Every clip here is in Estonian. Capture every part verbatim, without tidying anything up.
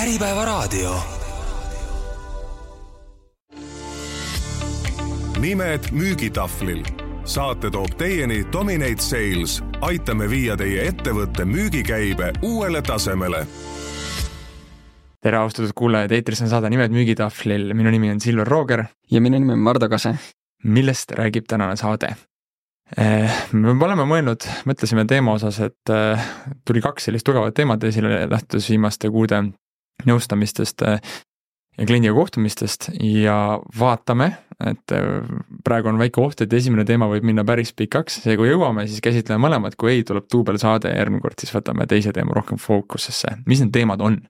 Äripäevaraadio. Nimed müügitahvlil. Saate toob teieni Dominate Sales. Aitame viia teie ettevõtte müügikäibe uuele tasemele. Tere austatud kuulajad, eetris on saade Nimed müügitahvlil. Minu nimi on Silver Rooger. Ja minu nimi on Mardo Kase. Millest räägib tänane saade? Me oleme mõelnud, mõtlesime teema osas, et tuli kaks sellist tugevat teemat esile lähtus viimaste kuude nõustamistest ja kliendiga kohtumistest ja vaatame, et praegu on väike oht, et esimene teema võib minna päris pikaks. See, kui jõuame, siis käsitleme mõlemad, kui ei, tuleb duubel saade ja järgmine kord siis võtame teise teema rohkem fookusesse. Mis need teemad on?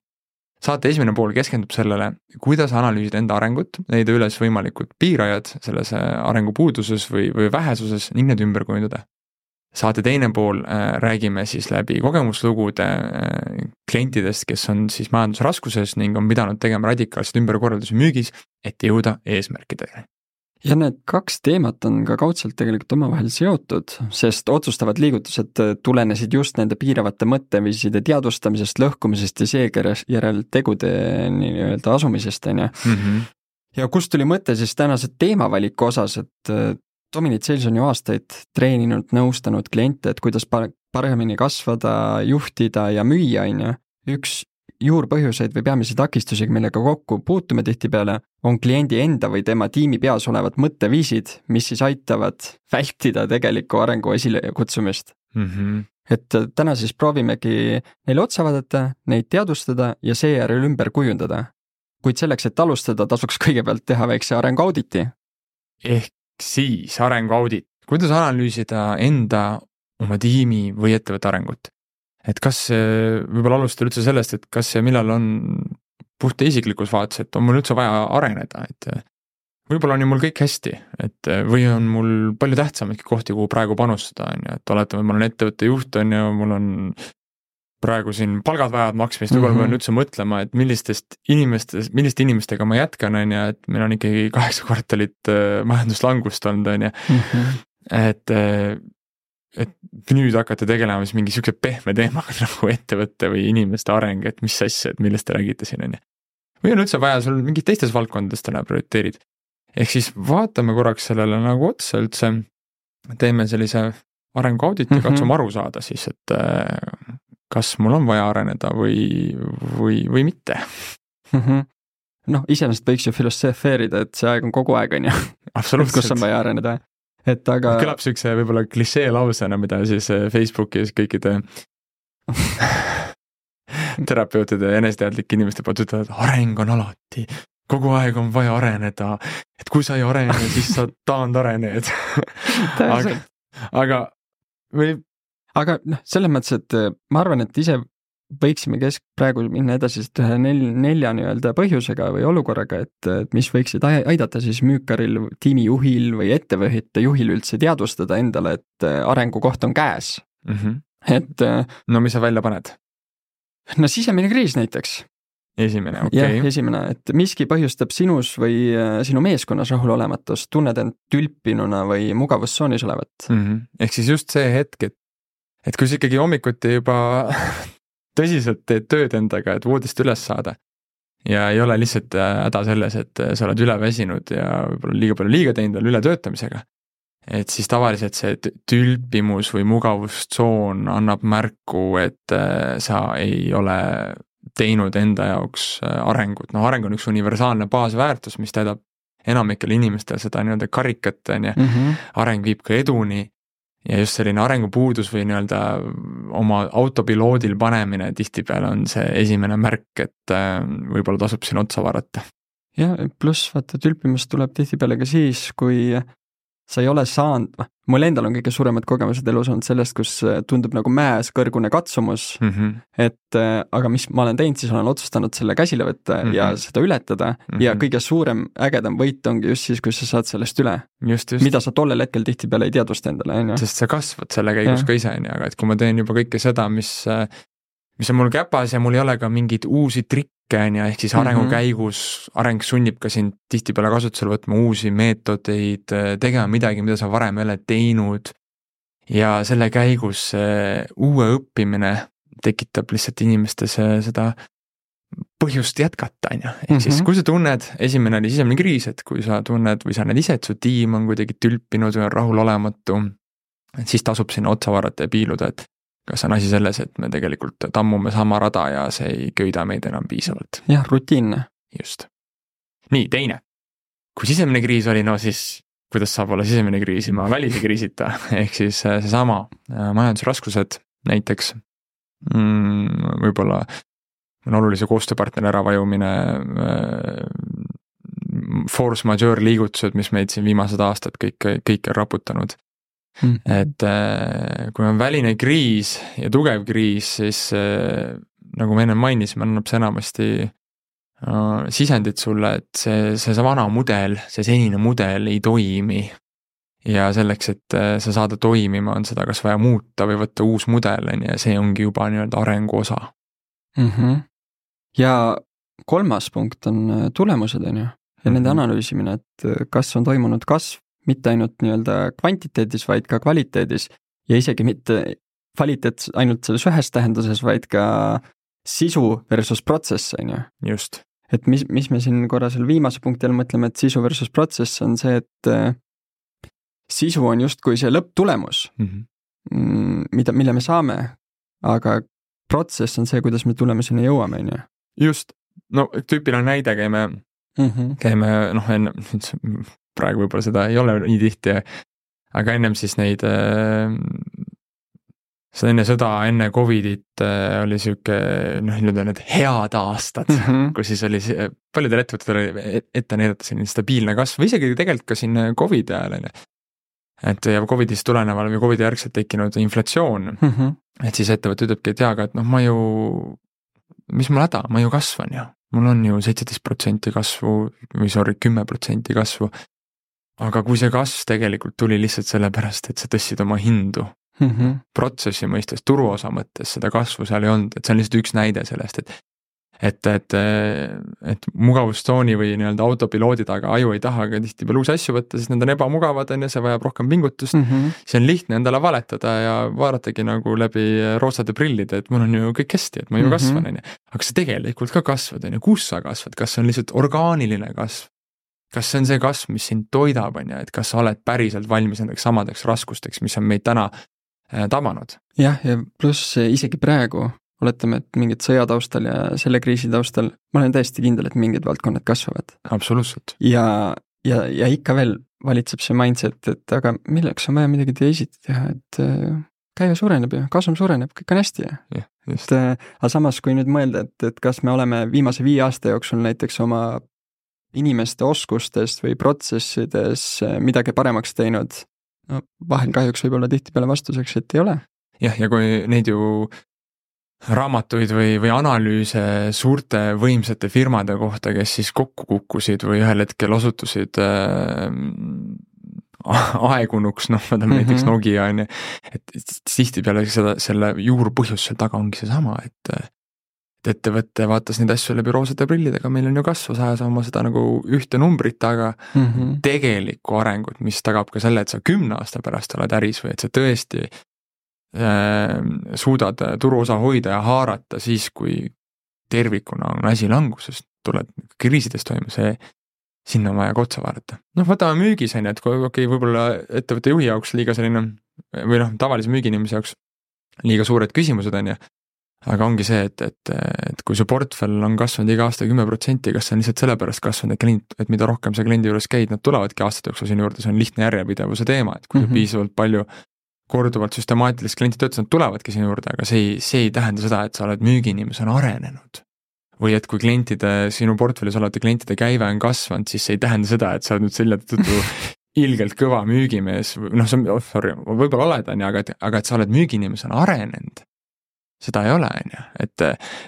Saate esimene pool keskendub sellele, kuidas analüüsida enda arengut, leida üles võimalikud piirajad selles arengupuuduses või, või vähesuses ning need ümber kujundada. Saate teine pool äh, räägime siis läbi kogemuslugude äh, klientidest, kes on siis majandusraskuses ning on pidanud tegema radikaalselt ümberkorraldusi müügis, et jõuda eesmärkidele. Ja need kaks teemat on ka kaudselt tegelikult omavahel seotud, sest otsustavad liigutused tulenesid just nende piiravate mõtteviiside teadvustamisest, lõhkumisest ja seejärel tegude nii-öelda asumisest. Mm-hmm. Ja kust tuli mõte siis tänase teemavaliku osas, et Dominate Sales on ju aastaid treeninud, nõustanud kliente, et kuidas paremini kasvada, juhtida ja müüa. Üks juurpõhjuseid või peamisi takistusi, millega kokku puutume tihtipeale, on kliendi enda või tema tiimi peas olevad mõtteviisid, mis siis aitavad vältida tegeliku arengu esile kutsumist. Mm-hmm. Et täna siis proovimegi neile otsa vaadata, neid teadvustada ja seejärel ümber kujundada. Kuid selleks, et alustada, tasuks kõigepealt teha väikse arenguauditi. Ehk siis arenguaudit. Kuidas analüüsida enda, oma tiimi või ettevõtte arengut? Et kas võib-olla alustada üldse sellest, et kas ja millal on puht isiklikus vaates, et on mul üldse vaja areneda, et võib-olla on ju mul kõik hästi, et või on mul palju tähtsamadki kohti, kuhu praegu panustada, on ju, et oletame, ma olen ettevõtte juht, on ju, mul on praegu siin palgad vajavad maksmist, võib-olla mm-hmm. pean üldse mõtlema, et millistest inimestest, milliste inimestega ma jätkan, on ju, et meil on ikkagi kaheksa kvartalit majanduslangust olnud, on ju, mm-hmm. et et nüüd hakata tegelema siis mingi siukse pehme teemaga nagu ettevõtte või inimeste areng, et mis asja, et millest te räägite siin on. Või on üldse vaja sul mingid teistes valdkondades täna prioriteerid. Ehk siis vaatame korraks sellele nagu otsa üldse, teeme sellise arenguauditi ja mm-hmm. katsume aru saada siis, et kas mul on vaja areneda või, või, või mitte. Mm-hmm. Noh, iseenesest võiks ju filosofeerida, et see aeg on kogu aeg, on ju. Absoluutselt. Kus on vaja areneda. Et aga... Kõlab sükse võib-olla klišee lausena, mida siis Facebookis kõikide terapeutide ja eneseteadlike inimeste poolt ütlevad, et areng on alati, kogu aeg on vaja areneda, et kui sa ei arene, siis sa taandarened. aga, aga, või... aga noh, selles mõttes, et ma arvan, et ise võiksime kesk praegu minna edasi ühe nel, nelja nii-öelda põhjusega või olukorraga, et, et mis võiksid aidata siis müükaril, tiimijuhil või ettevõtte juhil üldse teadvustada endale, et arengukoht on käes. Mm-hmm. Et, no mis sa välja paned? No sisemine kriis näiteks. Esimene, okei. Okay. Jah, esimene, et miski põhjustab sinus või sinu meeskonnas rahulolematust, tunned end tülpinuna või mugavustsoonis olevat. Mm-hmm. Ehk siis just see hetk, et, et kui sa ikkagi hommikuti juba tõsiselt teed tööd endaga, et voodist üles saada ja ei ole lihtsalt häda selles, et sa oled üle väsinud ja võib-olla liiga palju liiga teinud veel üle töötamisega, et siis tavaliselt see tülpimus või mugavustsoon annab märku, et sa ei ole teinud enda jaoks arengut. No areng on üks universaalne baasväärtus, mis täidab enamikele inimestel seda nii-öelda karikat, mm-hmm. areng viib ka eduni. Ja just selline arengupuudus või nii-öelda oma autopiloodil panemine tihtipeale on see esimene märk, et võib-olla tasub siin otsa vaadata. Ja pluss vaata tülpimust tuleb tihtipeale ka siis, kui sa ei ole saanud, mul endal on kõige suuremad kogemused elus olnud sellest, kus tundub nagu mäes kõrgune katsumus, mm-hmm. et aga mis ma olen teinud, siis olen otsustanud selle käsile võtta mm-hmm. ja seda ületada mm-hmm. ja kõige suurem ägedam võit ongi just siis, kui sa saad sellest üle. Just, just. Mida sa tollel hetkel tihtipeale ei teadvusta endale. Sest sa kasvad selle käigus ja. Ka ise, aga et kui ma teen juba kõike seda, mis, mis on mul käpas ja mul ei ole ka mingeid uusi trikke, ehk siis arengu mm-hmm. käigus, areng sunnib ka sind tihtipeale kasutusele võtma uusi meetodeid, tegema midagi, mida sa varem ei ole teinud ja selle käigus uue õppimine tekitab lihtsalt inimestes seda põhjust jätkata, on ju. Ehk siis, kui sa tunned, esimene oli sisemine kriis, et kui sa tunned või sa näed ise, et su tiim on kuidagi tülpinud või on rahulolematu, et siis tasub sinna otsa vaadata ja piiluda, et kas on asi selles, et me tegelikult tammume sama rada ja see ei köida meid enam piisavalt. jah, rutiinne. Just. Nii, teine. Kui sisemine kriis oli, no siis kuidas saab olla sisemine kriis ilma välise kriisita, ehk siis seesama majandusraskused näiteks, mm, võib-olla on olulise koostööpartneri äravajumine, force majeure liigutused, mis meid siin viimased aastad kõik, kõik on raputanud. Mm. Et kui on väline kriis ja tugev kriis, siis nagu me enne mainisime, annab see enamasti sisendit sulle, et see, see, see vana mudel, see senine mudel ei toimi. Ja selleks, et sa saada toimima, on seda kas vaja muuta või võtta uus mudel, ja see ongi juba nii-öelda arengu osa. Mm-hmm. Ja kolmas punkt on tulemused, on ju, ja mm-hmm. nende analüüsimine, et kas on toimunud kasv, mitte ainult nii-öelda kvantiteedis, vaid ka kvaliteedis ja isegi mitte kvaliteet ainult selles ühes tähenduses, vaid ka sisu versus protsess, on ju. Just. Et mis, mis me siin korra selle viimase punktil mõtleme, et sisu versus protsess on see, et sisu on justkui see lõpptulemus, mm-hmm. mida, mille me saame, aga protsess on see, kuidas me tulemuseni jõuame, on ju. Just. No tüüpiline näide käime, mm-hmm. käime, noh, enne, praegu võib-olla seda ei ole nii tihti, aga ennem siis neid, seda enne sõda, enne Covidit oli siuke, noh, need head aastad, mm-hmm. kus siis oli, paljudel ettevõttel oli ette näidata selline stabiilne kasv, või isegi tegelikult ka siin Covid ajal, et ja Covidist tuleneval või Covidi järgselt tekkinud inflatsioon, mm-hmm. et siis ettevõte ütlebki, et jaaga, et noh, ma ju, mis mul häda, ma ju kasvan ju, mul on ju seitseteist protsenti kasvu või sorry, kümme protsenti kasvu, aga kui see kasv tegelikult tuli lihtsalt sellepärast, et sa tõstsid oma hindu, mm-hmm. protsessi mõistes, turuosa mõttes, seda kasvu seal ei olnud, et see on lihtsalt üks näide sellest, et et, et, et mugavustsooni või nii-öelda autopiloodi taga aju ei taha ka tihti peale uusi asju võtta, sest need on ebamugavad, on ja see vajab rohkem pingutust, mm-hmm. see on lihtne endale valetada ja vaadatagi nagu läbi roosade prillide, et mul on ju kõik hästi, et ma ju mm-hmm. kasvan, on ja. Aga sa tegelikult ka kasvad, on ja, kus sa kasvad, kas see on lihtsalt orgaaniline kasv? Kas see on see kasv, mis sind toidab, on ja, et kas sa oled päriselt valmis nendeks samadeks raskusteks, mis on meid täna äh, tabanud? Jah, ja pluss isegi praegu, oletame, et mingid sõjataustal ja selle kriisi taustal, ma olen täiesti kindel, et mingid valdkonnad kasvavad. Absoluutselt. Ja, ja, ja ikka veel valitseb see mindset, et aga milleks on vaja midagi teisiti teha, et äh, käive suureneb ja kasum suureneb, kõik on hästi. Ja, et, äh, aga samas, kui nüüd mõelda, et, et kas me oleme viimase viie aasta jooksul näiteks oma inimeste oskustest või protsessides midagi paremaks teinud, no vahel kahjuks võib olla tihtipeale vastuseks, et ei ole. Jah, ja kui neid ju raamatuid või, või analüüse suurte võimsate firmade kohta, kes siis kokku kukkusid või ühel hetkel osutusid äh, aegunuks, noh, ma tean mm-hmm. näiteks Nokia on, et tihtipeale seda, selle juurpõhjus seal taga ongi see sama, et et ettevõtte vaatas neid asju läbi roosade prillidega, meil on ju kasvu, sa ajas oma seda nagu ühte numbrit, aga mm-hmm. tegelikku arengut, mis tagab ka selle, et sa kümne aasta pärast oled äris või et sa tõesti äh, suudad turuosa hoida ja haarata siis, kui tervikuna on asi languses, tuled kriisidest toime, see sinna on vaja ka otsa vaadata. Noh, võtame müügis, on, et kui okei, võib-olla ettevõtte juhi jaoks liiga selline, või noh, tavalise müüginimise jaoks liiga suured küsimused on ja aga ongi see, et, et, et kui su portfell on kasvanud iga aasta kümme protsenti, kas see on lihtsalt sellepärast kasvanud, et klient, et mida rohkem sa kliendi juures käid, nad tulevadki aastate jooksul sinu juurde, see on lihtne järjepidevuse teema, et kui mm-hmm. piisavalt palju korduvalt süstemaatilist klienti töötas, nad tulevadki sinu juurde, aga see ei, see ei tähenda seda, et sa oled müügiinimesena arenenud. Või et kui klientide, sinu portfellis olete klientide käive on kasvanud, siis see ei tähenda seda, et sa oled nüüd selle tõttu ilgelt kõva müügimees, noh, see on, oh, sorry, võib-olla oled, on, aga, aga et sa oled müügiinimesena arenenud. Seda ei ole, on ju, et,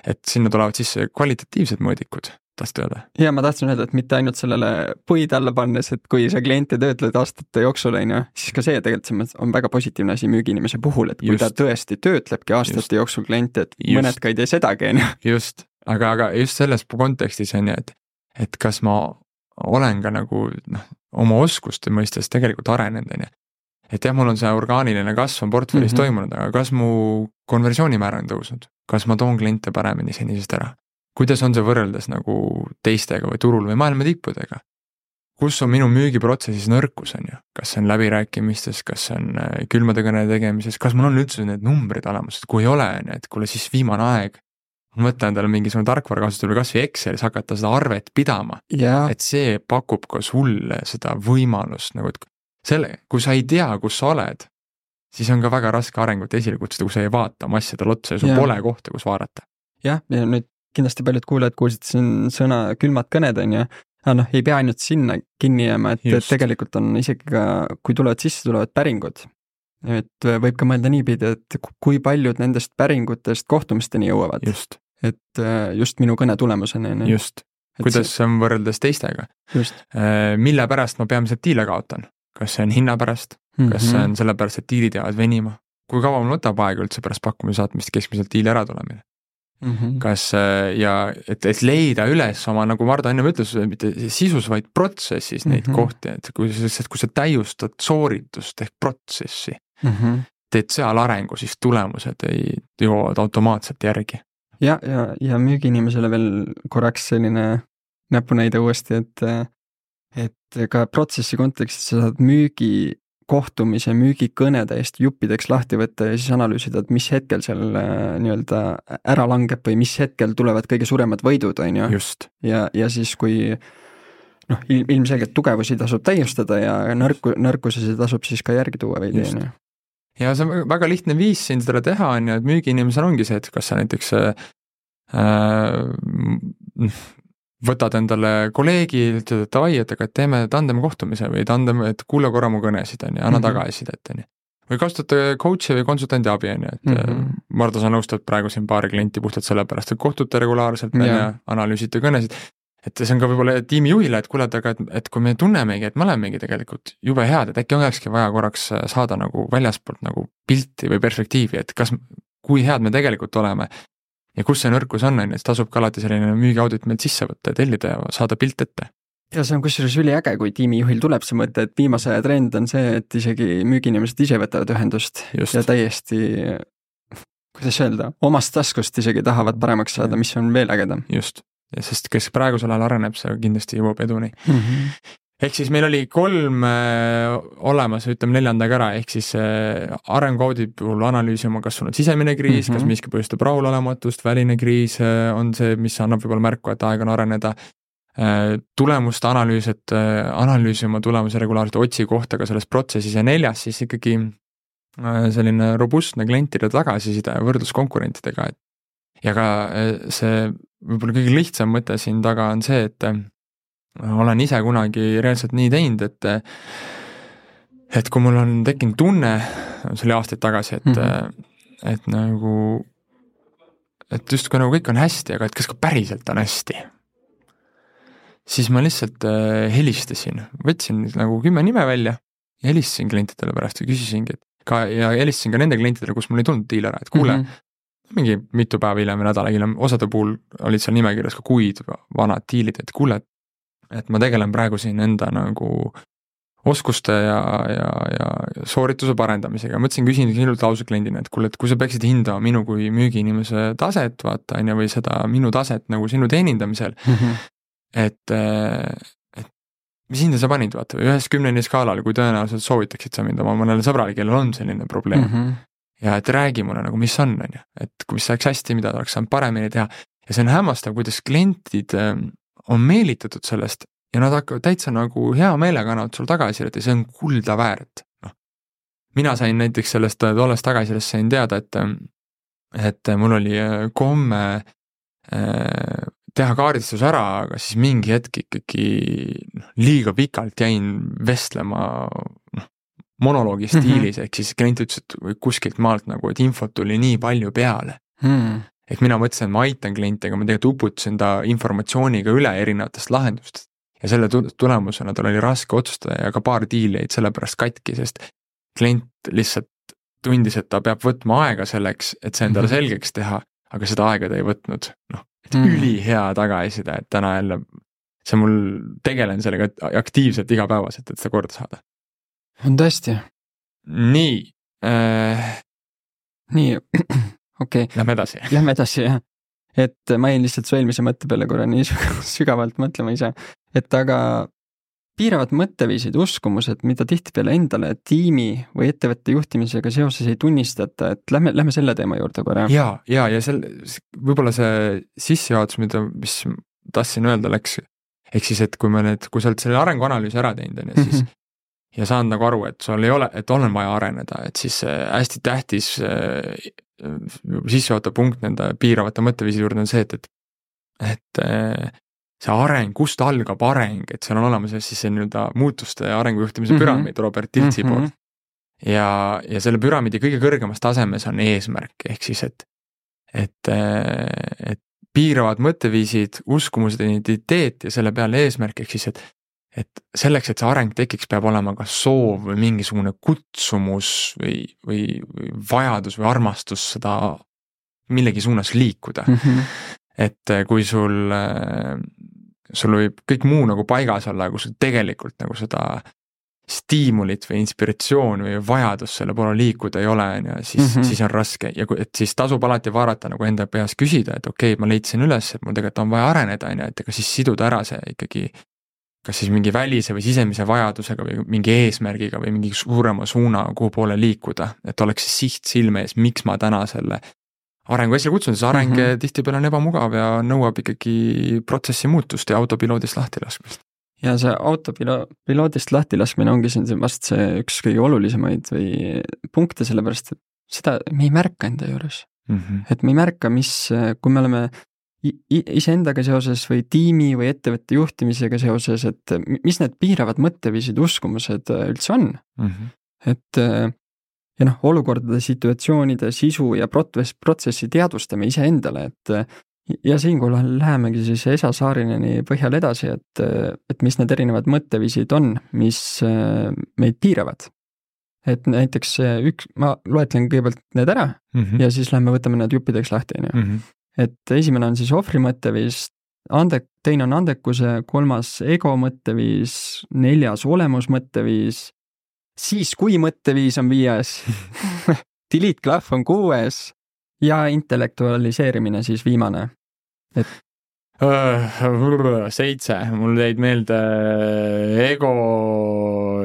et sinna tulevad sisse kvalitatiivsed mõõdikud, tahtsid öelda? Ja ma tahtsin öelda, et mitte ainult sellele puid alla pannes, et kui sa kliente töötled aastate jooksul, on ju, siis ka see tegelikult on väga positiivne asi müügiinimese puhul, et kui just. Ta tõesti töötlebki aastate just. Jooksul kliente, et just. Mõned ka ei tee sedagi, on ju. Just, aga, aga just selles kontekstis on ju, et, et kas ma olen ka nagu noh, oma oskuste mõistes tegelikult arenenud, on ju. Et jah, mul on see orgaaniline kasv on portfellis mm-hmm. toimunud, aga kas mu konversioonimäär on tõusnud? Kas ma toon kliente paremini senisest ära? kuidas on see võrreldes nagu teistega või turul või maailma tippudega? Kus on minu müügiprotsessis nõrkus, on ju? Kas see on läbirääkimistes, kas see on külmade kõne tegemises, kas mul on üldse need numbrid olemas, et kui ei ole, et kuule siis viimane aeg, mõtle endale mingisugune tarkvara kasutada või kas või Excelis hakata seda arvet pidama, ja. et see pakub ka sulle seda võimalust, nagu et selle, kui sa ei tea, kus sa oled, siis on ka väga raske arengut esile kutsuda, kui sa ei vaata oma asjadel otsa ja sul ja. pole kohta, kus vaadata. Jah, ja nüüd kindlasti paljud kuulajad kuulsid siin sõna külmad kõned, on ju, aga noh, ei pea ainult sinna kinni jääma, et, et tegelikult on isegi ka, kui tulevad sisse, tulevad päringud. Et võib ka mõelda niipidi, et kui paljud nendest päringutest kohtumisteni jõuavad. Just. Et just minu kõne tulemusena. Just. Kuidas see on võrreldes teistega. Just. Mille pärast ma peamiselt diile kaotan? Kas see on hinna pärast? Kas mm-hmm. see on selle pärast, et diilid jäävad venima? Kui kaua mul võtab aega üldse pärast pakkumise saatmist keskmiselt diili ära tulemine? Mm-hmm. Kas ja et, et leida üles oma, nagu Marda enne ütles, mitte sisus, vaid protsessis neid mm-hmm. kohti, et kui, kui sa täiustad sooritust ehk protsessi, mm-hmm. teed seal arengu, siis tulemused ei jõuavad automaatselt järgi. Ja, ja, ja müügiinimesele veel korraks selline näpunäide uuesti, et, et ka protsessi kontekstis sa saad müügi kohtumise, müügikõne täiesti juppideks lahti võtta ja siis analüüsida, et mis hetkel seal nii-öelda ära langeb või mis hetkel tulevad kõige suuremad võidud, on ju. Just. Ja, ja siis kui noh, ilmselgelt tugevusi tasub täiustada ja nõrku, nõrkusesi tasub siis ka järgi tuua veidi. Ja see on väga lihtne viis siin seda teha, on ju, et müügiinimesel ongi see, et kas sa näiteks äh, võtad endale kolleegi, ütled, et davai, et aga teeme tandem kohtumise või tandem, et kuule korra mu kõnesid, on ju, anna mm-hmm. tagasidet, on ju. Või kasutate coach'i või konsultandi abi, on ju, et mm-hmm. Marda, sa nõustad praegu siin paari klienti puhtalt selle pärast, et kohtute regulaarselt, on ju, analüüsite kõnesid, et see on ka võib-olla tiimi juhile, et kuule, aga et, et kui me tunnemegi, et me olemegi tegelikult jube head, et äkki olekski vaja korraks saada nagu väljaspoolt nagu pilti või perspektiivi, et kas, kui head me tegelikult oleme, ja kus see nõrkus on, et tasub ka alati selline müügiaudit meilt sisse võtta ja tellida ja saada pilt ette. Ja see on kusjuures üliäge, kui tiimijuhil tuleb see mõte, et viimase aja trend on see, et isegi müügiinimesed ise võtavad ühendust. Just. Ja täiesti, kuidas öelda, omast taskust isegi tahavad paremaks saada, mis on veel ägedam. Just, ja sest kes praegusel ajal areneb, see kindlasti jõuab eduni. Mm-hmm. Ehk siis meil oli kolm äh, olemas, ütleme neljandaga ära, ehk siis äh, arenguaudi puhul analüüsima, kas sul on sisemine kriis, mm-hmm. kas miski põhjustab rahulolematust, väline kriis äh, on see, mis annab võib-olla märku, et aeg on areneda. Äh, tulemuste analüüs, et äh, analüüsima tulemuse regulaarselt otsi kohta ka selles protsessis ja neljas siis ikkagi äh, selline robustne klientide tagasiside ja võrdlus konkurentidega. Ja ka äh, see võib-olla kõige lihtsam mõte siin taga on see, et äh, olen ise kunagi reaalselt nii teinud, et et kui mul on tekkinud tunne, see oli aastaid tagasi, et mm-hmm. et nagu et just kui nagu kõik on hästi, aga et kas ka päriselt on hästi, siis ma lihtsalt helistasin, võtsin nagu kümme nime välja ja helistasin klientidele pärast ja küsisingi, et ka, ja helistasin ka nende klientidele, kus mul ei tulnud diil ära, et kuule, mm-hmm. mingi mitu päeva hiljem või nädala hiljem, osade puhul olid seal nimekirjas ka kuid vanad diilid, et kuule, et ma tegelen praegu siin enda nagu oskuste ja, ja, ja soorituse parendamisega. Mõtlesin, küsin kindlalt lause kliendina, et kuule, et kui sa peaksid hindama minu kui müügiinimese taset, vaata, või seda minu taset nagu sinu teenindamisel, mm-hmm. et, et mis hinda sa panid, vaata, või ühes kümneni skaalal, kui tõenäoliselt soovitaksid sa mind oma mõnele sõbrale, kellel on selline probleem. Mm-hmm. Ja et räägi mulle nagu, mis on, on ju, et kui mis saaks hästi, mida oleks saanud paremini teha. Ja see on hämmastav, kuidas klientid on meelitatud sellest ja nad hakkavad täitsa nagu hea meelega annavad sul tagasisidet ja see on kulda väärt. No. Mina sain näiteks sellest tollest tagasisidet sain teada, et, et mul oli komme teha kaardistus ära, aga siis mingi hetk ikkagi liiga pikalt jäin vestlema no, monoloogi stiilis, mm-hmm. ehk siis klient ütles, et kuskilt maalt nagu, et infot tuli nii palju peale. Mm. Ehk mina mõtlesin, et ma aitan klienti, aga ma tegelikult uputasin ta informatsiooniga üle erinevatest lahendustest. Ja selle tulemusena tal oli raske otsustada ja ka paar diili jäid sellepärast katki, sest klient lihtsalt tundis, et ta peab võtma aega selleks, et see endale selgeks teha, aga seda aega ta ei võtnud. Noh, et mm. ülihea tagasiside, et täna jälle see mul tegelen sellega aktiivselt igapäevaselt, et seda korda saada. On tõesti. Nii. Äh... Nii. Okei. Lähme edasi. Lähme edasi, jah. et ma jäin lihtsalt su eelmise mõtte peale korra nii sügavalt mõtlema ise, et aga piiravad mõtteviisid, uskumused, mida tihtipeale endale tiimi või ettevõtte juhtimisega seoses ei tunnistata, et lähme, lähme selle teema juurde korra. Ja, ja, ja sel, võib-olla see sissejuhatus, mida, mis tahtsin öelda, läks, ehk siis, et kui me nüüd, kui sa oled selle arenguanalüüsi ära teinud, on ju, siis mm-hmm. ja saanud nagu aru, et sul ei ole, et on vaja areneda, et siis hästi tähtis sissejuhatav punkt nende piiravate mõtteviisi juurde on see, et, et, et see areng, kust algab areng, et seal on olemas siis see nii-öelda muutuste ja arengujuhtimise mm-hmm. püramiid Robert Tiltsi mm-hmm. poolt. Ja, ja selle püramiidi kõige kõrgemas tasemes on eesmärk, ehk siis, et, et, et piiravad mõtteviisid, uskumused, identiteet ja selle peale eesmärk, ehk siis, et et selleks, et see areng tekiks, peab olema ka soov või mingisugune kutsumus või, või, või vajadus või armastus seda millegi suunas liikuda. Mm-hmm. Et kui sul, sul võib kõik muu nagu paigas olla, kui sul tegelikult nagu seda stiimulit või inspiratsioon või vajadus selle poole liikuda ei ole, siis, mm-hmm. siis on raske ja kui, et siis tasub alati vaadata nagu enda peas küsida, et okei okay,, ma leidsin üles, et mul tegelikult on vaja areneda, et ega siis siduda ära see ikkagi kas siis mingi välise või sisemise vajadusega või mingi eesmärgiga või mingi suurema suuna, kuhu poole liikuda, et oleks siht silme ees, miks ma täna selle arengu esile kutsun, see areng mm-hmm. tihtipeale on ebamugav ja nõuab ikkagi protsessi muutust ja autopiloodist lahti laskmist. Ja see autopiloodist lahti laskmine ongi siin vast see üks kõige olulisemaid või punkte, sellepärast, et seda me ei märka enda juures. Mm-hmm. Et me ei märka, mis, kui me oleme iseendaga seoses või tiimi või ettevõtte juhtimisega seoses, et mis need piiravad mõtteviisid, uskumused üldse on. Mm-hmm. Et ja noh, olukordade, situatsioonide sisu ja protsessi teadvustame iseendale, et ja siinkohal lähemegi siis Esa Saarineni põhjal edasi, et, et mis need erinevad mõtteviisid on, mis meid piiravad. Et näiteks üks, ma loetlen kõigepealt need ära mm-hmm. ja siis lähme võtame need juppideks lahti. Mm-hmm. Et esimene on siis ohvri mõtteviis, ande, teine on andekuse, kolmas ego mõtteviis, neljas olemus mõtteviis, siis kui mõtteviis on viies, delete klahv on kuues ja intellektualiseerimine siis viimane. Et seitse, mul jäid meelde ego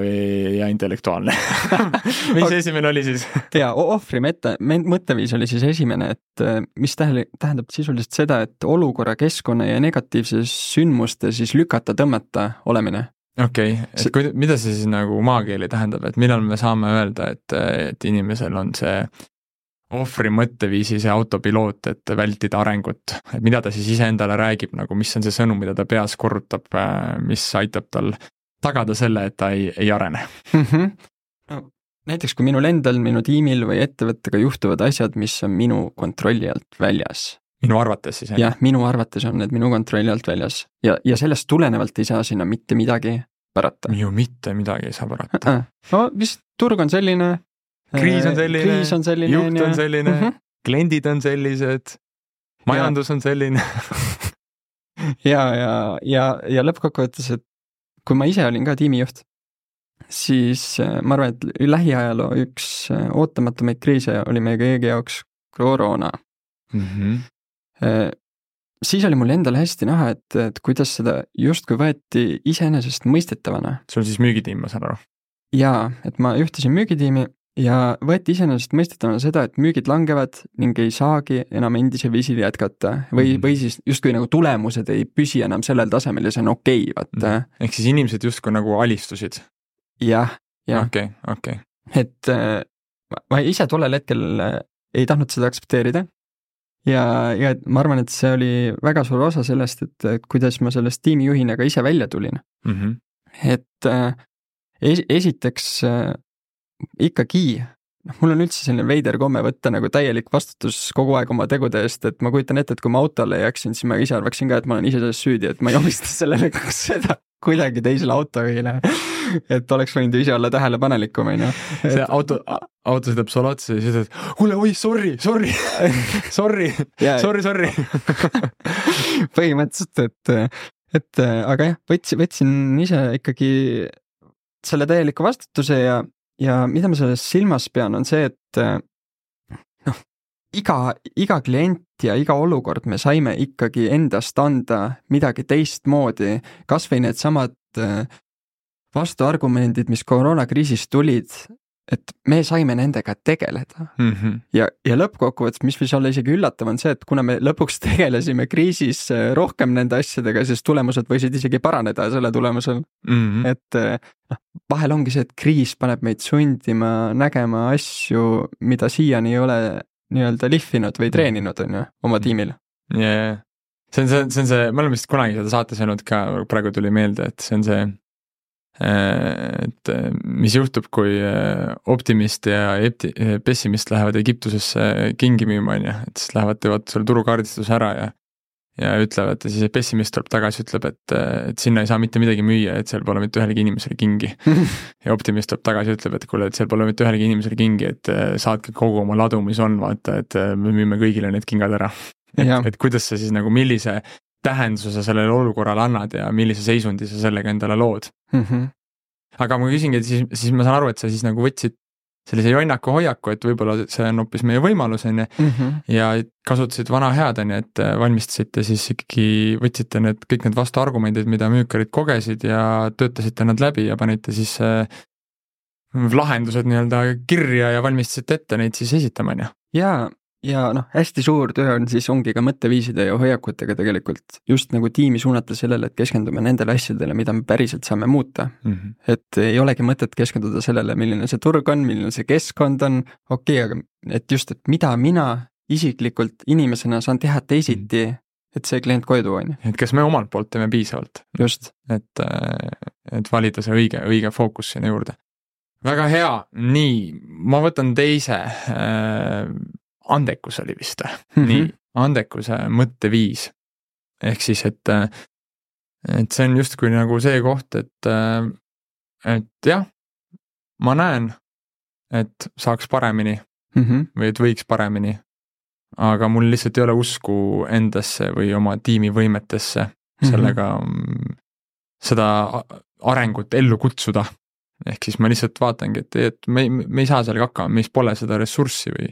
ja intellektuaalne. Mis esimene oli siis? Ja ohvri mõtte, mõtteviis oli siis esimene, et mis tähendab sisuliselt seda, et olukorra, keskkonna ja negatiivse sündmuste siis lükata, tõmmata olemine. Okei, okay. Et kui, mida see siis nagu maakeeli tähendab, et millal me saame öelda, et, et inimesel on see ohvri mõtteviisi see autopiloot, et vältida arengut, et mida ta siis iseendale räägib, nagu mis on see sõnum, mida ta peas korrutab, mis aitab tal tagada selle, et ta ei, ei arene. Mm-hmm. No, näiteks kui minul endal, minu tiimil või ettevõttega juhtuvad asjad, mis on minu kontrolli alt väljas. Minu arvates siis? Jah, minu arvates on need minu kontrolli alt väljas ja, ja sellest tulenevalt ei saa sinna mitte midagi parata. Ju mitte midagi ei saa parata. No vist turg on selline, kriis on selline, kriis on selline juht on selline, mm-hmm. kliendid on sellised, majandus ja. On selline. ja, ja, ja, ja lõppkokkuvõttes, et kui ma ise olin ka tiimijuht, siis ma arvan, et lähiajaloo üks ootamatumaid kriise oli meie kõigi jaoks koroona. Mm-hmm. Siis oli mul endale hästi näha, et, et kuidas seda justkui võeti iseenesest mõistetavana. Sul siis müügitiim, ma saan aru? Jaa, et ma juhtisin müügitiimi ja võeti iseenesest mõistetavana seda, et müügid langevad ning ei saagi enam endise viisil jätkata või, mm. või siis justkui nagu tulemused ei püsi enam sellel tasemel ja see on okei, vaata. Mm. Ehk siis inimesed justkui nagu alistusid? Jah, jah. Okei, okei. Et ma ise tollel hetkel ei tahtnud seda aktsepteerida ja, ja ma arvan, et see oli väga suur osa sellest, et, et kuidas ma sellest tiimijuhina ka ise välja tulin. Mm-hmm. Et es, esiteks ikkagi, noh, mul on üldse selline veider komme võtta nagu täielik vastutus kogu aeg oma tegude eest, et ma kujutan ette, et kui ma autole jääksin, siis ma ise arvaksin ka, et ma olen ise selles süüdi, et ma ei omista sellele seda kuidagi teisele autojuhile, et oleks võinud ise olla tähelepanelikum, on ju. See auto, auto sõidab sulle otsa ja siis ütled, kuule, oi, sorry, sorry, sorry, sorry, sorry. Põhimõtteliselt, et, et aga jah, võtsin, võtsin ise ikkagi selle täieliku vastutuse ja Ja mida ma sellest silmas pean, on see, et noh, iga, iga klient ja iga olukord me saime ikkagi endast anda midagi teistmoodi, kas või need samad vastuargumendid, mis koroonakriisist tulid, et me saime nendega tegeleda. Mm-hmm. Ja, ja lõppkokkuvõttes, mis võis olla isegi üllatav, on see, et kuna me lõpuks tegelesime kriisis rohkem nende asjadega, siis tulemused võisid isegi paraneda selle tulemusel. Mm-hmm. Et noh, vahel ongi see, et kriis paneb meid sundima nägema asju, mida siiani ei ole nii-öelda lihvinud või treeninud on ju, oma tiimil. Yeah. See on see, see on see, me oleme vist kunagi seda saates öelnud ka, praegu tuli meelde, et see on see, et mis juhtub, kui optimist ja pessimist lähevad Egiptusesse kingi müüma, on ju, et siis lähevad, teevad selle turukaardistuse ära ja ja ütlevad, ja siis pessimist tuleb tagasi, ütleb, et, et sinna ei saa mitte midagi müüa, et seal pole mitte ühelegi inimesele kingi. Ja optimist tuleb tagasi, ütleb, et kuule, et seal pole mitte ühelegi inimesele kingi, et saadke kogu oma ladu, mis on, vaata, et me müüme kõigile need kingad ära. Et, et kuidas sa siis nagu, millise tähenduse sellele olukorrale annad ja millise seisundi sa sellega endale lood. Mm-hmm. Aga ma küsingi, et siis, siis ma saan aru, et sa siis nagu võtsid sellise jonnaku hoiaku, et võib-olla see on hoopis meie võimalus, on ju, mm-hmm. ja kasutasid vana head, on ju, et valmistasite siis ikkagi, võtsite need, kõik need vastuargumendid, mida müükarid kogesid ja töötasite nad läbi ja panite siis äh, lahendused nii-öelda kirja ja valmistasite ette neid siis esitama, on ju. Jaa, ja noh, hästi suur töö on siis ongi ka mõtteviiside ja hoiakutega tegelikult just nagu tiimi suunata sellele, et keskendume nendele asjadele, mida me päriselt saame muuta. Mm-hmm. Et ei olegi mõtet keskenduda sellele, milline see turg on, milline see keskkond on, okei, aga et just, et mida mina isiklikult inimesena saan teha teisiti, et see klient koju tuua, on ju. Et kas me omalt poolt teeme piisavalt? Just. Et, et valida see õige, õige fookus sinna juurde. Väga hea, nii, ma võtan teise äh, andekus oli vist, mm-hmm. nii, andekuse mõtteviis. Ehk siis, et, et see on justkui nagu see koht, et, et jah, ma näen, et saaks paremini mm-hmm. või et võiks paremini, aga mul lihtsalt ei ole usku endasse või oma tiimi võimetesse mm-hmm. sellega seda arengut ellu kutsuda. Ehk siis ma lihtsalt vaatangi, et, et me, me ei saa sellega hakkama, meis pole seda ressurssi või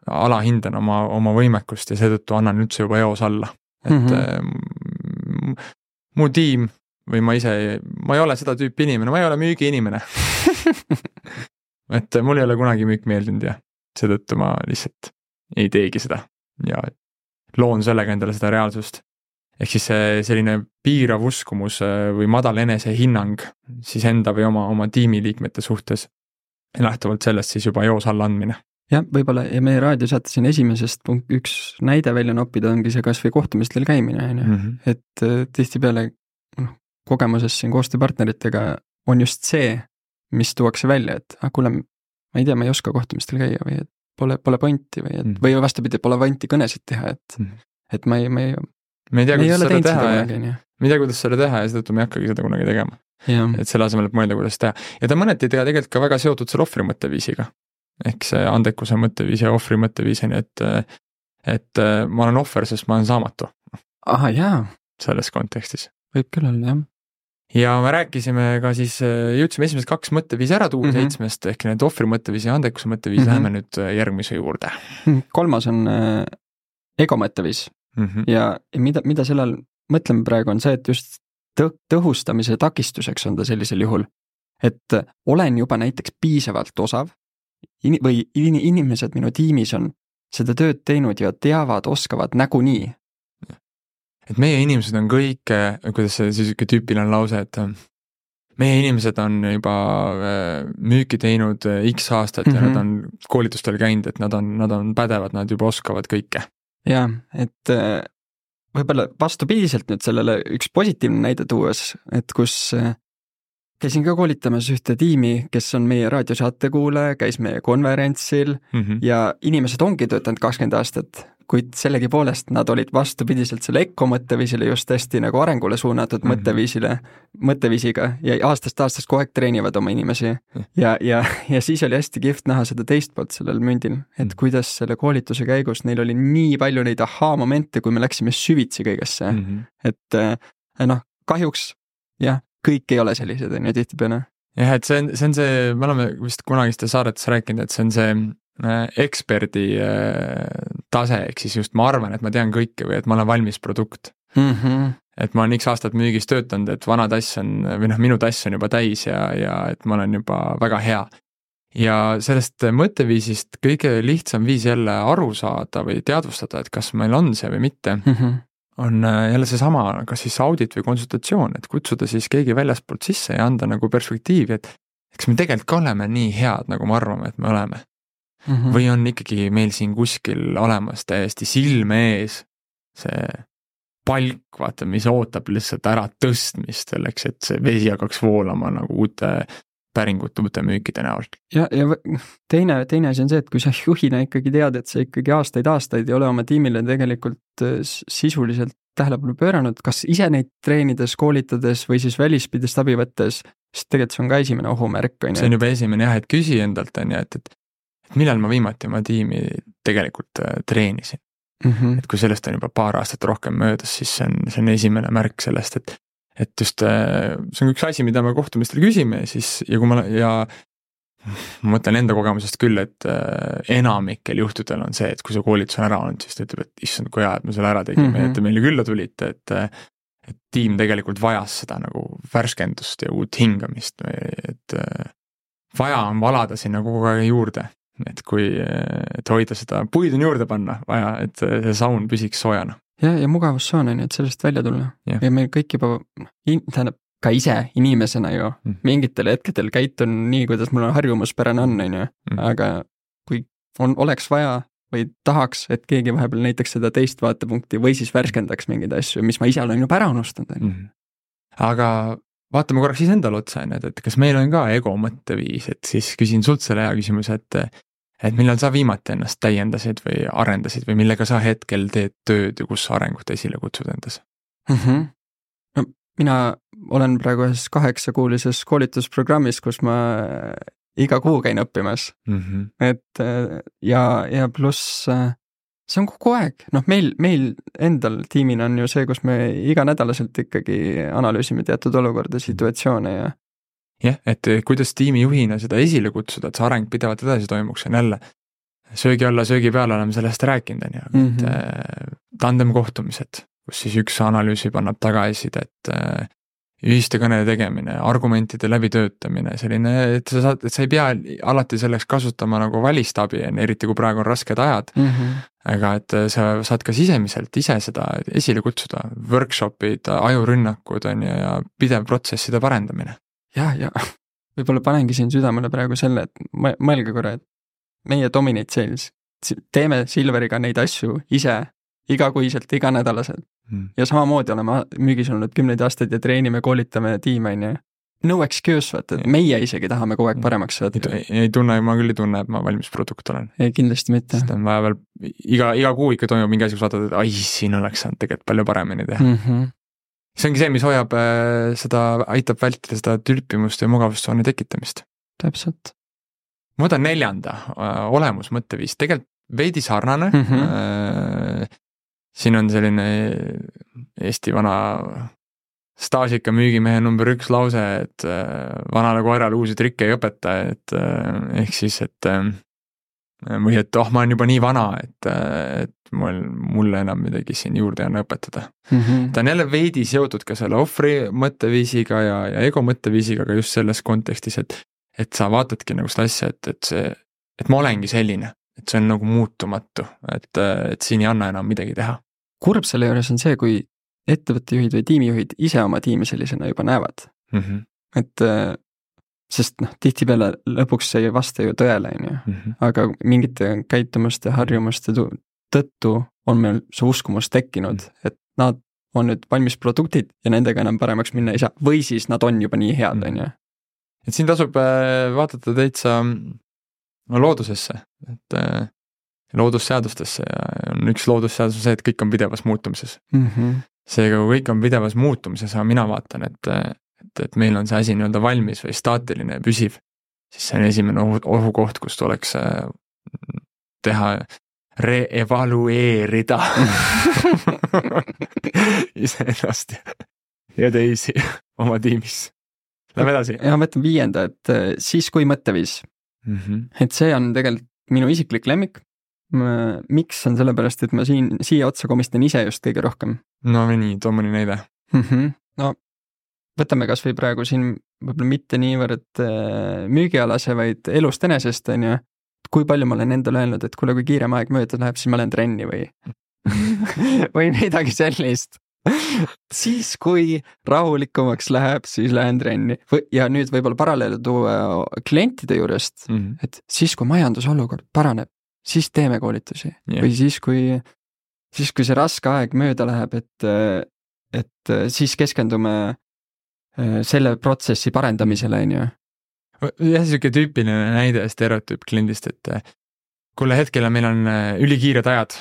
alahindan oma, oma võimekust ja seetõttu annan üldse juba eos alla. Et mm-hmm. mu tiim või ma ise, ma ei ole seda tüüpi inimene, ma ei ole müügi inimene. Et mul ei ole kunagi müük meeldinud ja seetõttu ma lihtsalt ei teegi seda ja loon sellega endale seda reaalsust. Ehk siis see selline piirav uskumus või madal enesehinnang siis enda või oma, oma tiimiliikmete suhtes lähtuvalt sellest siis juba eos alla andmine. Jah, võib-olla ja meie raadiosaate siin esimesest punkt üks näide välja noppida ongi see kas või kohtumistel käimine, on ju. Mm-hmm. Et tihtipeale noh, kogemuses siin koostööpartneritega on just see, mis tuuakse välja, et ah, kuule, ma ei tea, ma ei oska kohtumistel käia või et pole, pole pointi või, et, mm-hmm. või vastupidi, pole pointi kõnesid teha, et, mm-hmm. et ma ei, ma ei, me ei tea, kuidas seda teha ja kunagi, me ei tea, kuidas seda teha ja seetõttu me ei hakkagi seda kunagi tegema. Ja. Et selle asemel, et mõelda, kuidas teha. Ja ta mõneti teha tegelikult ka väga seotud selle ohvri mõtteviisiga. Ehk see andekuse mõtteviis ja ohvri mõtteviisini, et, et ma olen ohver, sest ma olen saamatu. Aha, jaa. Selles kontekstis. Võib küll olla, jah. Ja me rääkisime ka siis, jõudsime esimesed kaks mõtteviisi ära tuua mm-hmm. seitsmest, ehk need ohvri mõtteviisi ja andekuse mõtteviisi mm-hmm. läheme nüüd järgmise juurde. Kolmas on äh, ego mõtteviis mm-hmm. ja, ja mida, mida sellel mõtleme praegu on see, et just tõ- tõhustamise takistuseks on ta sellisel juhul, et olen juba näiteks piisavalt osav in- või in- inimesed minu tiimis on seda tööd teinud ja teavad, oskavad nägunii. Et meie inimesed on kõik, kuidas see siis tüüpiline lause, et meie inimesed on juba müüki teinud X aastat mm-hmm. ja nad on koolitustel käinud, et nad on, nad on pädevad, nad juba oskavad kõike. Jaa, et võib-olla vastupidiselt nüüd sellele üks positiivne näide tuues, et kus käisin ka koolitamas ühte tiimi, kes on meie raadiosaate kuulaja, käis meie konverentsil mm-hmm. ja inimesed ongi töötanud kakskümmend aastat, kuid sellegi poolest nad olid vastupidiselt selle Eko mõtteviisile just hästi nagu arengule suunatud mm-hmm. mõtteviisile, mõtteviisiga ja aastast aastast kogu aeg treenivad oma inimesi mm-hmm. ja, ja, ja siis oli hästi kihvt näha seda teist poolt sellel mündil, et mm-hmm. kuidas selle koolituse käigus neil oli nii palju neid ahaa-momente, kui me läksime süvitsi kõigesse mm-hmm. et noh, kahjuks jah, kõik ei ole sellised, on ju tihtipeale. Jah, et see on, see on see, me oleme vist kunagiste saadetes rääkinud, et see on see eksperdi tase, ehk siis just ma arvan, et ma tean kõike või et ma olen valmis produkt mm-hmm. et ma olen X aastat müügis töötanud, et vana tass on, või noh, minu tass on juba täis ja, ja et ma olen juba väga hea. Ja sellest mõtteviisist kõige lihtsam viis jälle aru saada või teadvustada, et kas meil on see või mitte, mm-hmm. on jälle seesama, kas siis audit või konsultatsioon, et kutsuda siis keegi väljaspoolt sisse ja anda nagu perspektiivi, et eks me tegelikult ka oleme nii head, nagu me arvame, et me oleme. Mm-hmm. Või on ikkagi meil siin kuskil olemas täiesti silme ees see palk, vaata, mis ootab lihtsalt ära tõstmist selleks, et see vesi hakkaks voolama nagu uute päringute, uute müükide näol. Ja, ja teine, teine asi on see, et kui sa juhina ikkagi tead, et sa ikkagi aastaid aastaid ei ole oma tiimile tegelikult sisuliselt tähelepanu pööranud, kas ise neid treenides, koolitades või siis välispidest abi võttes, sest tegelikult see on ka esimene ohumärk. See on juba esimene jah, et küsi endalt on ja, et, et, et millal ma viimati oma tiimi tegelikult treenisin. Mm-hmm. Et kui sellest on juba paar aastat rohkem möödas, siis see on, see on esimene märk sellest, et, et just see on üks asi, mida me kohtumistel küsime siis, ja kui ma, ja ma mõtlen enda kogemusest küll, et enamikel juhtudel on see, et kui see koolitus on ära olnud, siis ta ütleb, et issand, kui hea, et me selle ära tegime, mm-hmm. et te meile külla tulite, et, et tiim tegelikult vajas seda nagu värskendust ja uut hingamist, et vaja on valada sinna kogu aeg juurde, et kui, et hoida seda, puid on juurde panna vaja, et see saun püsiks soojana. Ja, ja mugavussoon on, et sellest välja tulla. Ja, ja meil kõik juba, tähendab, ka ise inimesena ju mm. mingitel hetkedel käitun nii, kuidas mul on harjumuspärane on, on ju. Mm. Aga kui on, oleks vaja või tahaks, et keegi vahepeal näiteks seda teist vaatepunkti või siis värskendaks mingeid asju, mis ma ise olen juba ära unustanud. Mm. Aga vaatame korraks siis endal otsa, et kas meil on ka ego mõtteviis, et siis küsin sult selle hea küsimuse, et, et millal sa viimati ennast täiendasid või arendasid või millega sa hetkel teed tööd ja kus sa arengut esile kutsud endas? Mm-hmm. No, mina olen praegu ühes kaheksakuulises koolitusprogrammis, kus ma iga kuu käin õppimas. Mm-hmm. Et ja, ja pluss see on kogu aeg. Noh, meil, meil endal tiimina on ju see, kus me iganädalaselt ikkagi analüüsime teatud olukorda, situatsioone ja jah, et kuidas tiimijuhina seda esile kutsuda, et see areng pidevalt edasi toimuks, on jälle söögi alla, söögi peale oleme sellest rääkinud, on ju, mm-hmm. et tandem kohtumised, kus siis üks analüüsib, annab tagasisidet, ühiste kõnede tegemine, argumentide läbitöötamine, selline, et sa saad, et sa ei pea alati selleks kasutama nagu välistabi, eriti kui praegu on rasked ajad, mm-hmm. aga et sa saad ka sisemiselt ise seda esile kutsuda, workshopid, ajurünnakud on ju, ja pidev protsesside parendamine. Ja, ja võib-olla panengi siin südamele praegu selle, et mõelge korra, et meie Dominate Sales, teeme Silveriga neid asju ise, igakuiselt, iganädalaselt. Hmm. Ja samamoodi oleme müügis olnud kümneid aastaid ja treenime, koolitame tiime, on ju. No excuse, vaata, et meie isegi tahame kogu aeg paremaks saada. Ei, ei tunne, ma küll ei tunne, et ma valmis produkt olen. Ei, kindlasti mitte. Sest on vaja veel, iga, iga kuu ikka toimub mingi asi, kus vaatad, et ai, siin oleks saanud tegelikult palju paremini teha. Mm-hmm. See ongi see, mis hoiab seda, aitab vältida seda tülpimust ja mugavustsooni tekitamist. Täpselt. Ma võtan neljanda, olemus mõtteviis, tegelikult veidi sarnane. Mm-hmm. Siin on selline Eesti vana staažika müügimehe number üks lause, et vanale koerale uusi trikke ei õpeta, et ehk siis, et või et oh, ma olen juba nii vana, et, et mul, mulle enam midagi siin juurde on õpetada. Mm-hmm. Ta on jälle veidi seotud ka selle ohvri mõtteviisiga ja, ja ego mõtteviisiga, aga just selles kontekstis, et, et sa vaatadki nagu seda asja, et, et see, et ma olengi selline. Et see on nagu muutumatu, et, et siin ei anna enam midagi teha. Kurb selle juures on see, kui ettevõttejuhid või tiimijuhid ise oma tiimi sellisena juba näevad. Mm-hmm. Et sest noh, tihtipeale lõpuks see ei vasta ju tõele, on ju. Mm-hmm. Aga mingite käitumuste, harjumuste tõttu on meil see uskumus tekkinud, mm-hmm. et nad on nüüd valmis produktid ja nendega enam paremaks minna ei saa. Või siis nad on juba nii head, mm-hmm. on ju. Et siin tasub vaadata täitsa loodusesse, et loodusseadustesse ja on üks loodusseadus see, et kõik on pidevas muutumises. Mm-hmm. Seega, kui kõik on pidevas muutumises, aga mina vaatan, et, et, et meil on see asi nii-öelda valmis või staatiline ja püsiv, siis see on esimene ohu, ohukoht, kus tuleks teha, re-evalueerida iseennast ja teisi oma tiimis. Lähme edasi. Ja ma võtan viienda, et siis kui mõtteviis. Mm-hmm. Et see on tegelikult minu isiklik lemmik. Miks on sellepärast, et ma siin, siia otsa komistan ise just kõige rohkem? No nii, too mõni näide. Mm-hmm. No võtame kas või praegu siin võib-olla mitte niivõrd müügialase, vaid elust enesest, on ju. Kui palju ma olen endale öelnud, et kuule, kui kiirem aeg mööda läheb, siis ma olen trenni või või midagi sellist. Siis, kui rahulikumaks läheb, siis lähen trenni. Ja nüüd võib-olla paralleele tuua klientide juurest, mm-hmm. et siis, kui majandusolukord paraneb, siis teeme koolitusi. Yeah. Või siis, kui, siis, kui see raske aeg mööda läheb, et, et siis keskendume selle protsessi parendamisele, on ju. Jah, siuke tüüpiline näide stereotüüp kliendist, et kuule hetkel meil on ülikiired ajad,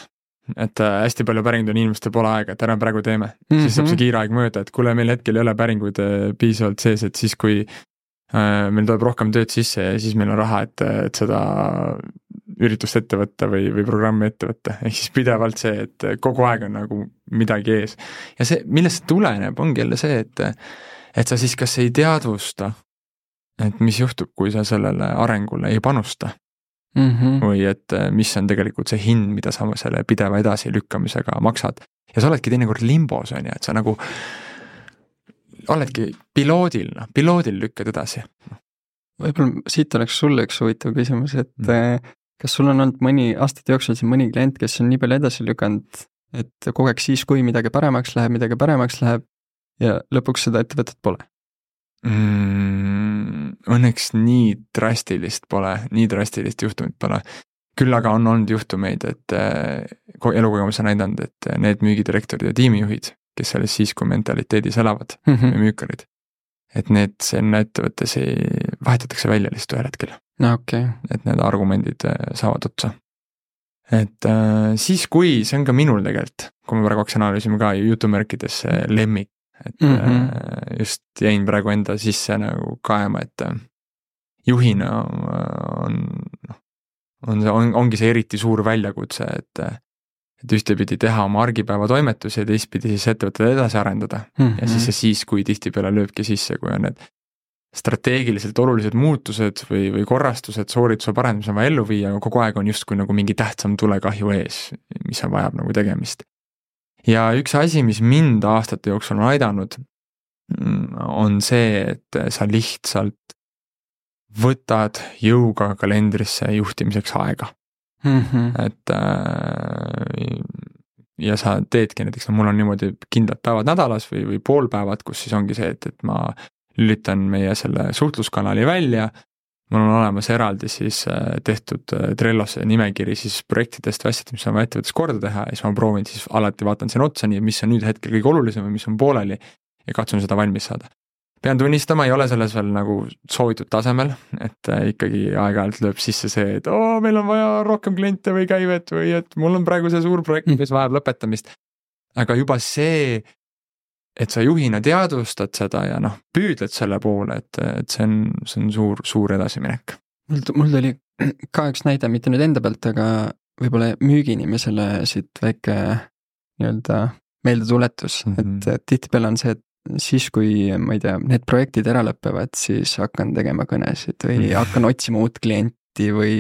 et hästi palju päringuid on inimestel pole aega, et ära praegu teeme. Mm-hmm. Siis saab see kiire aeg mööda, et kuule meil hetkel ei ole päringuid piisavalt sees, et siis kui äh, meil tuleb rohkem tööd sisse ja siis meil on raha, et, et seda üritust ette võtta või, või programmi ette võtta. Ehk siis pidevalt see, et kogu aeg on nagu midagi ees. Ja see, millest tuleneb, ongi jälle see, et, et sa siis kas ei teadvusta, et mis juhtub, kui sa sellele arengule ei panusta. Mm-hmm. Või et mis on tegelikult see hind, mida sa selle pideva edasi lükkamisega maksad. Ja sa oledki teinekord limbos, on ju, et sa nagu oledki piloodil, no, piloodil lükkad edasi. Võib-olla siit oleks sulle üks huvitav küsimus, et mm. kas sul on olnud mõni aastate jooksul siin mõni klient, kes on nii palju edasi lükanud, et kogu aeg siis, kui midagi paremaks läheb, midagi paremaks läheb ja lõpuks seda ettevõtet pole? Mm, õnneks nii drastilist pole, nii drastilist juhtumit pole. Küll aga on olnud juhtumeid, et elukogemus on näidanud, et need müügidirektorid ja tiimijuhid, kes selles siis, kui mentaliteedis elavad mm-hmm. või müükarid, et need selle ettevõttes ei vahetatakse välja lihtsalt ühel hetkel. No, okay. Et need argumendid saavad otsa. Et äh, siis, kui see on ka minul tegelikult, kui me praegu analüüsime ka jutumärkides lemmik, et mm-hmm. just jäin praegu enda sisse nagu kaema, et juhina on, on see, on, ongi see eriti suur väljakutse, et, et ühtepidi teha oma argipäeva toimetusi ja teistpidi siis ettevõtted edasi arendada. Mm-hmm. Ja siis see siis, kui tihtipeale lööbki sisse, kui on need strateegiliselt olulised muutused või, või korrastused, soorituse parendamise on vaja ellu viia, aga kogu aeg on justkui nagu mingi tähtsam tulekahju ees, mis on vajab nagu tegemist. Ja üks asi, mis mind aastate jooksul on aidanud, on see, et sa lihtsalt võtad jõuga kalendrisse juhtimiseks aega. Mm-hmm. Et ja sa teedki näiteks, no mul on niimoodi kindlad päevad nädalas või, või poolpäevad, kus siis ongi see, et, et ma lülitan meie selle suhtluskanali välja, mul on olemas eraldi siis tehtud Trellos nimekiri siis projektidest või asjad, mis on vaja ettevõttes korda teha ja siis ma proovin siis alati vaatan siin otsa, nii mis on nüüd hetkel kõige olulisem või mis on pooleli ja katsun seda valmis saada. Pean tunnistama, ei ole selles veel nagu soovitud tasemel, et ikkagi aeg-ajalt lööb sisse see, et oo, meil on vaja rohkem kliente või käivet või et mul on praegu see suur projekt, mis vajab lõpetamist. Aga juba see, et sa juhina teadvustad seda ja noh, püüdled selle poole, et, et see on, see on suur, suur edasiminek. Mul, mul tuli ka üks näide, mitte nüüd enda pealt, aga võib-olla müügiinimesele siit väike nii-öelda meeldetuletus, mm-hmm. et, et tihtipeale on see, et siis, kui ma ei tea, need projektid ära lõpevad, siis hakkan tegema kõnesid või mm-hmm. hakkan otsima uut klienti või,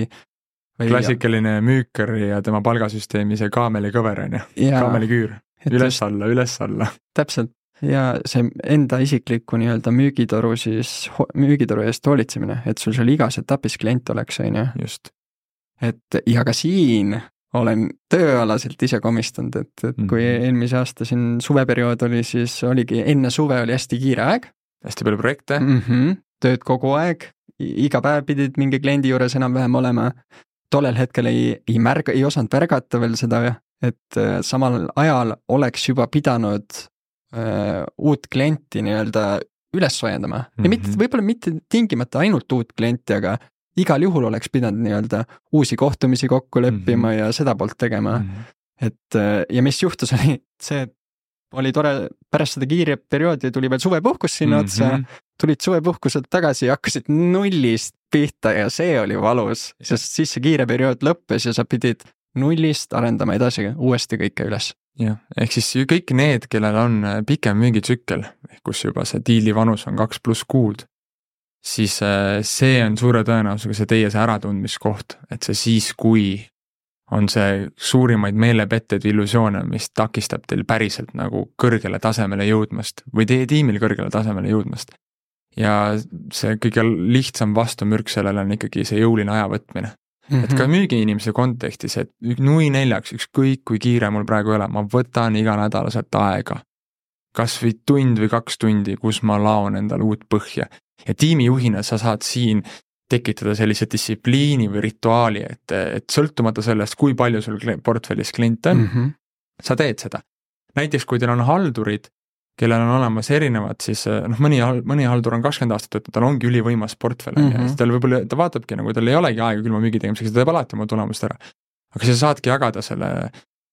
või klassikaline müükar ja tema palgasüsteemi see kaameli kõver on ju, kaameli küür, üles alla, üles alla. Täpselt. Ja see enda isikliku nii-öelda müügitoru siis, müügitoru eest hoolitsemine, et sul seal igas etapis klient oleks, on ju. Just. Et ja ka siin olen tööalaselt ise komistanud, et, et mm-hmm. kui eelmise aasta siin suveperiood oli, siis oligi, enne suve oli hästi kiire aeg. Hästi palju projekte. Mm-hmm. Tööd kogu aeg, iga päev pidid mingi kliendi juures enam-vähem olema. Tollel hetkel ei, ei märga, ei osanud märgata veel seda, et samal ajal oleks juba pidanud uh, uut klienti nii-öelda üles soojendama. Mm-hmm. Ja mitte, võib-olla mitte tingimata ainult uut klienti, aga igal juhul oleks pidanud nii-öelda uusi kohtumisi kokku leppima mm-hmm. ja seda poolt tegema. Mm-hmm. Et ja mis juhtus oli see, et oli tore, pärast seda kiire perioodi tuli veel suvepuhkus sinna mm-hmm. otsa, tulid suvepuhkuselt tagasi ja hakkasid nullist pihta ja see oli valus, sest siis see kiire periood lõppes ja sa pidid nullist arendama edasi uuesti kõike üles. Jah, ehk siis kõik need, kellel on pikem müügitsükkel, kus juba see diili vanus on kaks pluss kuud, siis see on suure tõenäosusega see teie see äratundmiskoht, et see siis, kui on see suurimaid meelepetteid või illusioone, mis takistab teil päriselt nagu kõrgele tasemele jõudmast või teie tiimil kõrgele tasemele jõudmast. Ja see kõige lihtsam vastumürk sellele on ikkagi see jõuline aja võtmine. Mm-hmm. Et ka müügiinimese kontekstis, et nui neljaks, ükskõik kui kiire mul praegu ei ole, ma võtan iga nädalaselt aega. Kas või tund või kaks tundi, kus ma laon endale uut põhja. Ja tiimijuhina sa saad siin tekitada sellise distsipliini või rituaali, et, et sõltumata sellest, kui palju sul portfellis klient on, mm-hmm. sa teed seda. Näiteks, kui teil on haldurid, kellel on olemas erinevad, siis noh, mõni, mõni haldur on kakskümmend aastat võtnud, tal ongi ülivõimas portfell, mm-hmm. ja tal võib-olla, ta vaatabki nagu, tal ei olegi aega külma müügi tegemiseks, ta teeb alati oma tulemust ära. Aga sa saadki jagada selle,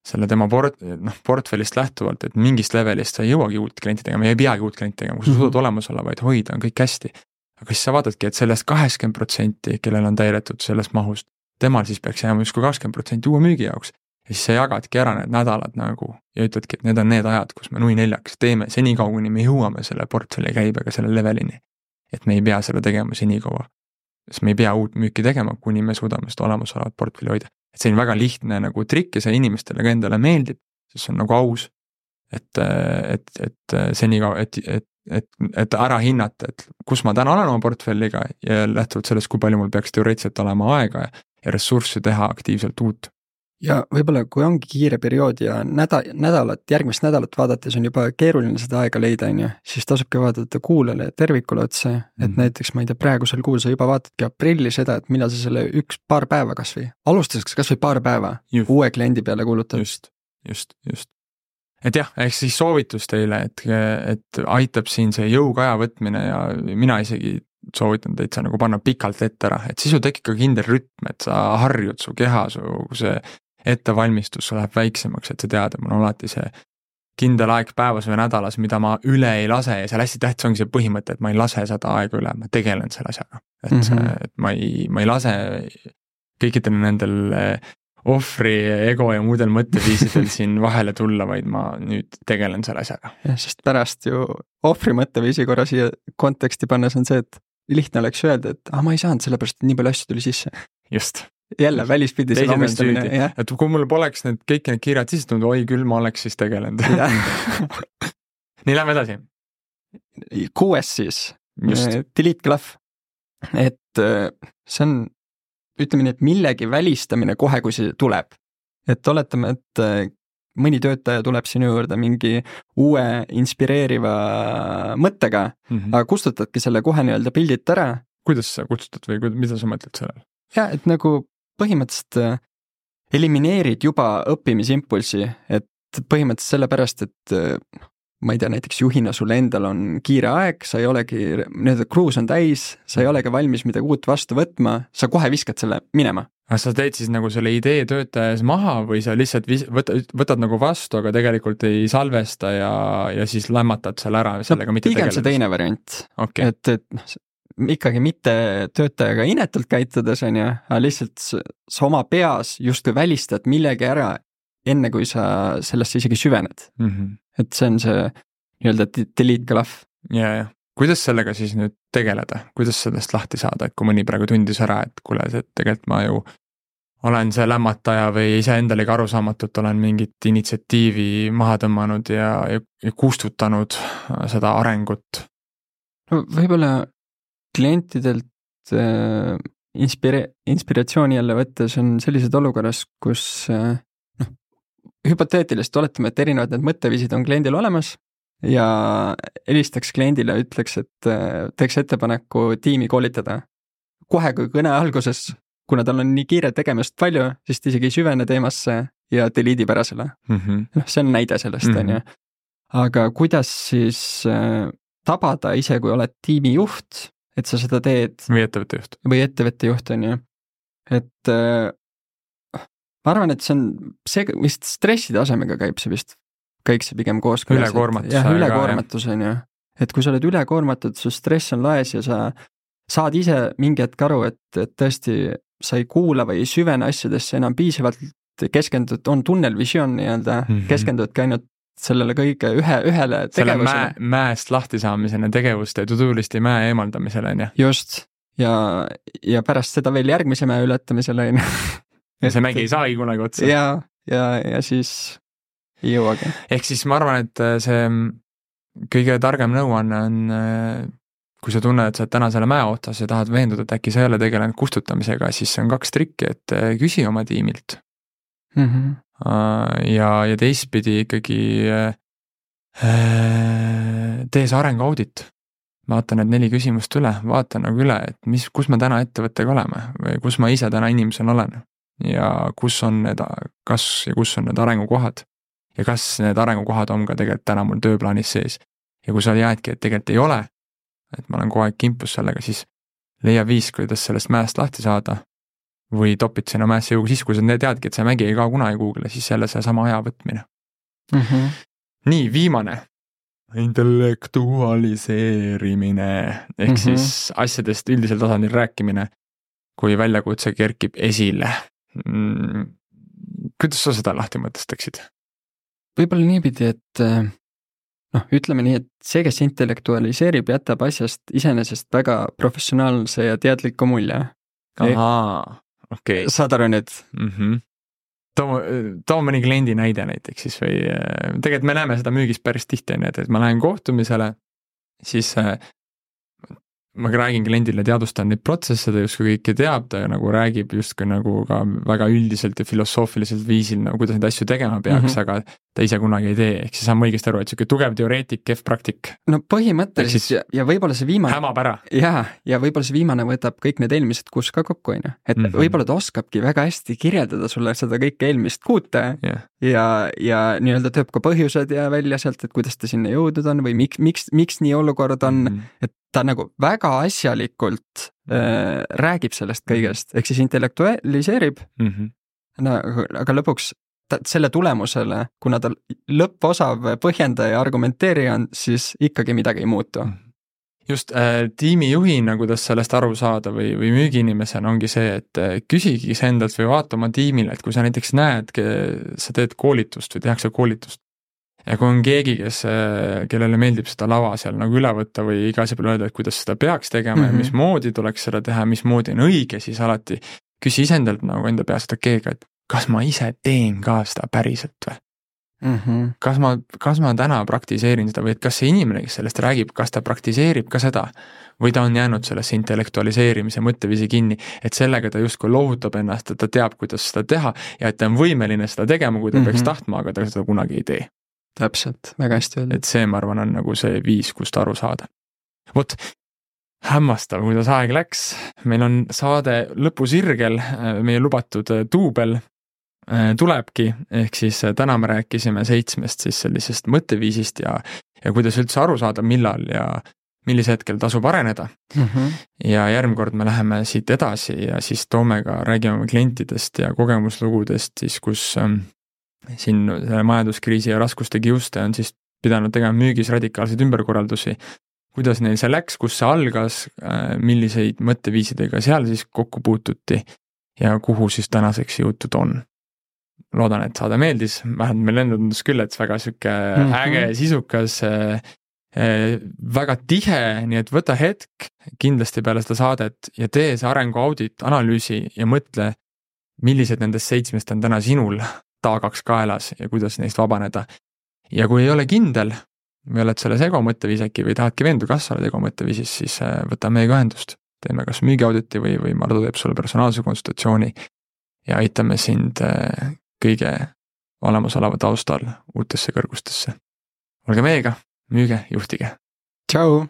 selle tema port, noh, portfellist lähtuvalt, et mingist levelist sa ei jõuagi uut klienti tegema, ei peagi uut klienti tegema, kui sa mm-hmm. suudad olemas olla, vaid hoida, on kõik hästi. Aga siis sa vaatadki, et sellest kaheksakümmend protsenti, kellel on täidetud sellest mahust, temal siis peaks jääma justkui kakskümmend protsenti uue müügi jaoks. Ja siis sa jagadki ära need nädalad nagu ja ütledki, et need on need ajad, kus me nui neljaks teeme senikaua, kuni me jõuame selle portfelli käibega selle levelini. Et me ei pea selle tegema senikaua. Sest me ei pea uut müüki tegema, kuni me suudame seda olemasolevat portfelli hoida. Et see on väga lihtne nagu trikk ja see inimestele ka endale meeldib, sest see on nagu aus, et, et, et senikaua, et, et Et, et ära hinnata, et kus ma täna olen oma portfelliga ja lähtuvalt sellest, kui palju mul peaks teoreetiliselt olema aega ja ressurssi teha aktiivselt uut. Ja võib-olla, kui ongi kiire periood ja näda, nädalat, järgmist nädalat vaadates on juba keeruline seda aega leida, on ju, siis tasubki vaadata kuulele tervikule otse, et mm-hmm. näiteks, ma ei tea, praegusel kuul sa juba vaatadki aprilli seda, et millal sa selle üks paar päeva kas või, alustaseks kas või paar päeva just. Uue kliendi peale kuulutad. Just, just, just. Et jah, ehk siis soovitus teile, et, et aitab siin see jõuga aja võtmine ja mina isegi soovitan teid sa nagu panna pikalt ette ära, et siis ju tekib ka kindel rütm, et sa harjud su keha, su see ettevalmistus läheb väiksemaks, et sa tead, et mul on alati see kindel aeg päevas või nädalas, mida ma üle ei lase ja seal hästi tähtis ongi see põhimõte, et ma ei lase seda aega üle, ma tegelen selle asjaga. Et, mm-hmm. et ma, ei, ma ei lase kõikidel nendel ohvri, ego ja muudel mõtteviisidel siin vahele tulla, vaid ma nüüd tegelen selle asjaga. Ja, sest pärast ju ohvri mõtteviisi korra siia konteksti pannes on see, et lihtne oleks öelda, et ah, ma ei saanud sellepärast, et nii palju asju tuli sisse. Just. Jälle välispidi selle omistamine. Et kui mul poleks need kõik need kirjad sisse tulnud, oi küll, ma oleks siis tegelenud. Nii, lähme edasi. Kuues siis. Just. Delete glove. Et see on ütleme nii, et millegi välistamine kohe, kui see tuleb. Et oletame, et mõni töötaja tuleb sinu juurde mingi uue inspireeriva mõttega, mm-hmm. aga kustutadki selle kohe nii-öelda pildilt ära. Kuidas sa kustutad või mida sa mõtled sellel? Ja, et nagu põhimõtteliselt elimineerid juba õppimisimpulsi, et põhimõtteliselt sellepärast, et ma ei tea, näiteks juhina sul endal on kiire aeg, sa ei olegi, need cruise on täis, sa ei olegi valmis midagi uut vastu võtma, sa kohe viskad selle minema. Aga sa teed siis nagu selle idee töötajas maha või sa lihtsalt vis- võtad, võtad nagu vastu, aga tegelikult ei salvesta ja, ja siis lämmatad selle ära sellega no, mitte tegeleda? Pigem see teine variant, okay. et, et ikkagi mitte töötajaga inetult käitudes on ja, aga lihtsalt sa oma peas justkui välistad millegi ära enne kui sa sellesse isegi süvened. Mm-hmm. Et see on see nii-öelda delete glove. Ja, ja. Kuidas sellega siis nüüd tegeleda? Kuidas sellest lahti saada, et kui mõni praegu tundis ära, et kuule, et tegelikult ma ju olen see lämmataja või ise endalegi arusaamatult olen mingit initsiatiivi maha tõmmanud ja, ja, ja kustutanud seda arengut? No, võib-olla klientidelt äh, inspire- inspiratsiooni jälle võttes on sellised olukorras, kus äh, hüpoteetilist oletame, et erinevad need mõtteviisid on kliendil olemas ja helistaks kliendile, ütleks, et teeks ettepaneku tiimi koolitada. Kohe kui kõne alguses, kuna tal on nii kiire tegemist palju, siis ta isegi süvene teemasse ja delete'ib ära selle. Mm-hmm. No, see on näide sellest, mm-hmm. on ju. Aga kuidas siis äh, tabada ise, kui oled tiimi juht, et sa seda teed? Või ettevõtte juht. Või ettevõtte juht, on ju. Et äh, ma arvan, et see on, see vist stressi tasemega käib see vist, kõik see pigem koos. Ülekoormatus. Jah, ülekoormatus on ju. Et kui sa oled ülekoormatud, su stress on laes ja sa saad ise mingi hetk aru, et, et tõesti sa ei kuula või ei süvene asjadesse enam piisavalt keskendud, on tunnelvisioon nii-öelda, mm-hmm. keskendudki ainult sellele kõige ühe, ühele selle tegevusele. Mäe, mäest lahti saamisena tegevuste tutulisti mäe eemaldamisele, on ju. Just, ja, ja pärast seda veel järgmise mäe ületamisele, on ju. Ja see mägi ei saagi kunagi otsa. Ja, ja, ja siis ei jõuagi. Ehk siis ma arvan, et see kõige targem nõuanne on, kui sa tunned, et sa oled täna selle mäe otsas ja tahad veenduda, et äkki sa ei ole tegelenud kustutamisega, siis see on kaks trikki, et küsi oma tiimilt. Mm-hmm. Ja, ja teistpidi ikkagi tee see arenguaudit. Vaata need neli küsimust üle, vaata nagu üle, et mis, kus me täna ettevõttega oleme või kus ma ise täna inimesena olen ja kus on need, kas ja kus on need arengukohad ja kas need arengukohad on ka tegelikult täna mul tööplaanis sees. Ja kui sa jäädki, et tegelikult ei ole, et ma olen kogu aeg kimpus sellega, siis leia viis, kuidas sellest mäest lahti saada või topid sinna mäesse jõuga siis, kui sa teadki, et see mägi ei kao kunagi Google'i, siis jälle see sama aja võtmine. Mm-hmm. Nii, viimane. Intellektualiseerimine ehk mm-hmm. siis asjadest üldisel tasandil rääkimine, kui väljakutse kerkib esile. Mm, kuidas sa seda lahti mõtestaksid? Võib-olla niipidi, et noh, ütleme nii, et see, kes intellektualiseerib, jätab asjast iseenesest väga professionaalse ja teadliku mulje. Ahaa, okei. Okay. Saad aru nüüd? Mm-hmm. Too, too mõni kliendi näide näiteks siis või tegelikult me näeme seda müügis päris tihti, et ma lähen kohtumisele, siis ma räägin kliendile, teadvustan neid protsesse, ta justkui kõike teab, ta nagu räägib justkui nagu ka väga üldiselt ja filosoofiliselt viisil, nagu kuidas neid asju tegema peaks, mm-hmm. aga ta ise kunagi ei tee, ehk siis saame õigesti aru, et siuke tugev teoreetik, kehv praktik. No põhimõtteliselt ja, ja võib-olla see viimane hämab ära. Ja, ja võib-olla see viimane võtab kõik need eelmised kuus ka kokku, on ju. Et mm-hmm. võib-olla ta oskabki väga hästi kirjeldada sulle seda kõike eelmist kuute yeah. ja, ja nii-öelda tööb ka põhjused ja välja sealt, et kuidas ta sinna jõudnud on või miks, miks, miks nii olukord on, mm-hmm. et ta nagu väga asjalikult äh, räägib sellest kõigest, ehk siis intellektualiseerib, mm-hmm. no, aga lõpuks ta, selle tulemusele, kuna ta lõpposav põhjendaja ja argumenteerija on, siis ikkagi midagi ei muutu. Just äh, tiimijuhina, kuidas sellest aru saada või, või müügiinimesena ongi see, et äh, küsigi see endalt või vaata oma tiimile, et kui sa näiteks näed, sa teed koolitust või tehakse koolitust, ja kui on keegi, kes, kellele meeldib seda lava seal nagu üle võtta või iga asja peale öelda, et kuidas seda peaks tegema mm-hmm. ja mismoodi tuleks seda teha, mismoodi on õige, siis alati küsi isendalt nagu enda peas seda keega, et kas ma ise teen ka seda päriselt või? Mm-hmm. Kas ma, kas ma täna praktiseerin seda või et kas see inimene, kes sellest räägib, kas ta praktiseerib ka seda või ta on jäänud sellesse intellektualiseerimise mõtteviisi kinni, et sellega ta justkui lohutab ennast, et ta teab, kuidas seda teha ja et ta on võimeline seda tegema, kui ta mm-hmm. peaks tahtma, aga ta seda kunagi ei tee. Täpselt, väga hästi öeldud. Et see, ma arvan, on nagu see viis, kust aru saada. Vot, hämmastav, kuidas aeg läks. Meil on saade lõpusirgel, meie lubatud duubel tulebki, ehk siis täna me rääkisime seitsmest siis sellisest mõtteviisist ja, ja kuidas üldse aru saada, millal ja millise hetkel tasub areneda. Mm-hmm. Ja järgmine me läheme siit edasi ja siis toome ka, räägime klientidest ja kogemuslugudest, siis kus siin selle majanduskriisi ja raskuste kiuste on siis pidanud tegema müügis radikaalseid ümberkorraldusi. Kuidas neil see läks, kus see algas, milliseid mõtteviisidega seal siis kokku puututi ja kuhu siis tänaseks jõutud on. Loodan, et saade meeldis, vähemalt meil enda tundus küll, et väga süke mm-hmm. äge, sisukas, väga tihe, nii et võta hetk kindlasti peale seda saadet ja tee see arenguaudit, analüüsi ja mõtle, millised nendest seitsmest on täna sinul taagaks kaelas ja kuidas neist vabaneda. Ja kui ei ole kindel, või oled selles ego mõtteviiseki või tahadki veendu, kas sa oled ego mõtteviisis, siis võta meiega ühendust. Teeme kas müügiauditi või, või Mardu teeb sulle personaalse konsultatsiooni ja aitame sind kõige olemasoleva taustal uutesse kõrgustesse. Olge meiega, müüge, juhtige. Tšau!